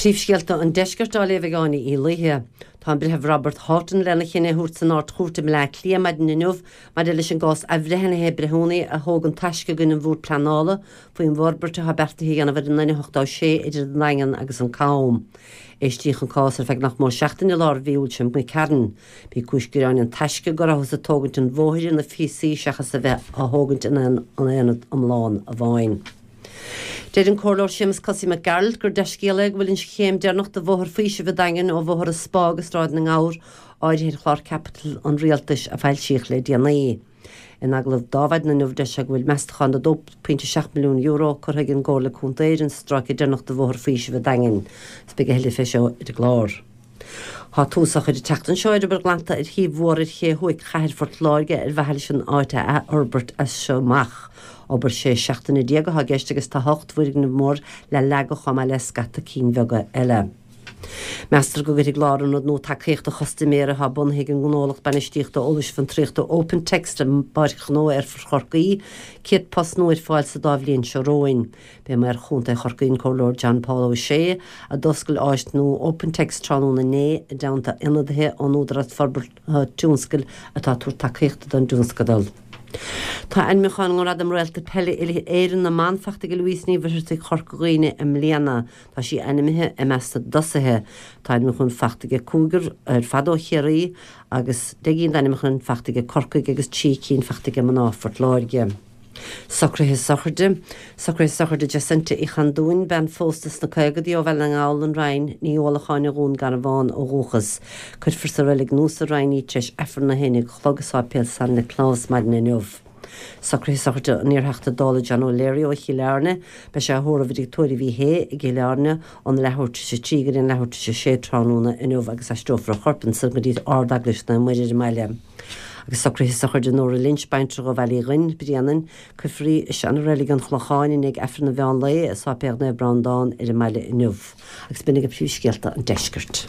Príomhscéalta an Deiscirt á léamh ag Áine Uí Laoithe. Tá an Breitheamh Robert Houghton lena chinneadh a thabhairt san Ard-Chúirt i mBleá Cliath maidin inniu maidir leis an gcás athbhreithnithe breithiúnaigh a thóg an Taisce i gcoinne an Bhúird Pleanála faoin bhforbairt atá beartaithe a dhéanamh ar an N86 idir an Daingean agus an Cam. Éistíodh an cás ar feadh nach mór seachtain i lár mhí Iúil seo imigh tharainn. B'í cúis gearáin an Taisce go rabhthas ag tógaint an bhóthair ina phíosaí seachas a bheith á thógaint ina aonad iomlán amháin. Deir an Comhairleoir Séamus Kossy Mac Gearailt gur dea-scéala é go bhfuil an chéim deireanach de Bhóthar Faoisimh an Daingin ó Bhóthar an Spá go Sráid na nGabhar áirithe ar chlár caipitil an Rialtais a foilsíodh le déanaí. In agallamh do Adhmhaidin inniu deir sé go bhfuil meastachán de €2.7 milliún curtha ag an gComhairle Contae ar an stráice deireanach de Bhóthar Faoisimh an Daingin. Is beidh a thuilleadh fé seo ar an gclár. Tá tús á chur an tseachtain seo ar obair ghlanta ar thaobh mhór ar ché thuaidh chathair Phort Láirge ar mhaithe leis an áit a athfhorbairt as seo amach. Obair 16 seachtaine atá i gceist agus tá 8 bhfoirgneamh mór le leagadh chomh maith le scata cinn bheaga eile. Meastar go gcuirfidh lárionad nua tacaíochta chustaiméara atá bunaithe ag an ngnólacht bainistíochta eolais fiontraíochta OpenText i bPáirc Ghnó Aerfort Chorcaí 100 post nua ar fáil sa dá bhliain seo romhainn. B'é Maor Chontae Chorcaí an Comhairleoir John Paul O'Shea a d'oscail áis nua OpenText tráthnóna inné i dteannta ionadaithe ón Údarás Forbartha Tionscail atá ag tabhairt tacaíochta don dtionscadal. Tá ainmniúchán i nGradam Réalta Peile Uile-Éireann na mBan faighte ag Louise Ní Mhuircheartaigh Chorca Dhuibhne i mbliana. Tá sí ainmnithe i measc na dtosaithe. Tá ainmniúchán faighte ag cúigear ar fad ó Chiarraí agus 10 gcinn d'ainmniúcháin faighte ag Corcaigh agus 3 cinn faighte ag mná Phort Láirge. Socruithe sochraide. Socruithe sochraide Jacinta Uí Chandúin, bean phósta sna caogaidí ó Bhaile na nGall, An Rinn, Ní Uallacháin ó Dhún Garbhán ó dhúchas. Cuirfear sa reilig nua sa Rinn í tar éis Aifreann a haon a chlog i Sáipéal San Nioclás maidin inniu. Socruithe sochraide an iarTheachta Dála John O'Leary ó Chill Airne. Beidh sé á thórramh i dTigh Tórraimh Uí Shé i gCill Airne óna leathuair tar éis a 3 go dtí an leathuair tar éis a 6 tráthnóna inniu agus aistreofar a chorp ansan go dtí Ard-Eaglais Naomh Muire ar an mbaile. Agus socruithe sochraide Nóra Lynch, baintreach ó Bhaile Uí Ghuinn, Bréanainn, cuirfear í i seana-reilig an Chlocháin i ndiaidh Aifreann an mheán lae i Sáipéal Naomh Breandán ar an mbaile inniu. Agus b'in agaibh príomhscéalta an deiscirt.